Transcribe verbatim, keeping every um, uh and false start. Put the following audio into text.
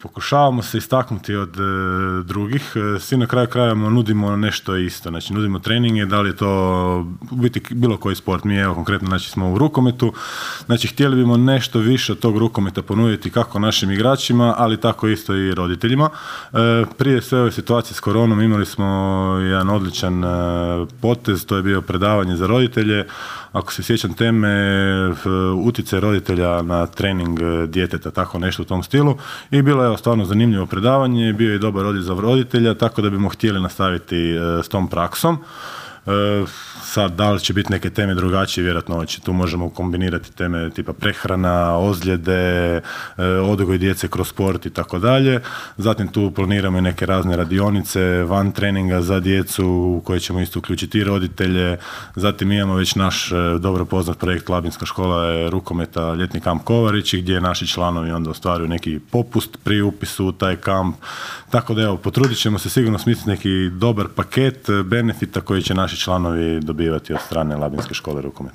pokušavamo se istaknuti od e, drugih, e, svi na kraju krajeva nudimo nešto isto, znači nudimo treninge, da li je to u biti bilo koji sport, mi evo konkretno znači smo u rukometu, znači htjeli bimo nešto više od tog rukometa ponuditi kako našim igračima, ali tako isto i roditeljima. E, prije sve ove situacije s koronom imali smo jedan odličan e, potez, to je bio predavanje za roditelje, ako se sjećam teme, utjecaj roditelja na trening djeteta, tako nešto u tom stilu, i bilo je stvarno zanimljivo predavanje, bio je dobar odjek za roditelja, tako da bimo htjeli nastaviti s tom praksom. E, sad, da li će biti neke teme drugačije, vjerojatno će, tu možemo kombinirati teme tipa prehrana, ozljede, e, odgoj djece kroz sport i tako dalje. Zatim tu planiramo i neke razne radionice, van treninga za djecu u koje ćemo isto uključiti i roditelje. Zatim imamo već naš e, dobro poznat projekt Labinska škola je rukometa ljetni kamp Kovarići, gdje naši članovi onda ostvaruju neki popust pri upisu u taj kamp. Tako da evo, potrudit ćemo se sigurno smisliti neki dobar paket benefita koji će naši članovi dobivati od strane Labinske škole rukometa.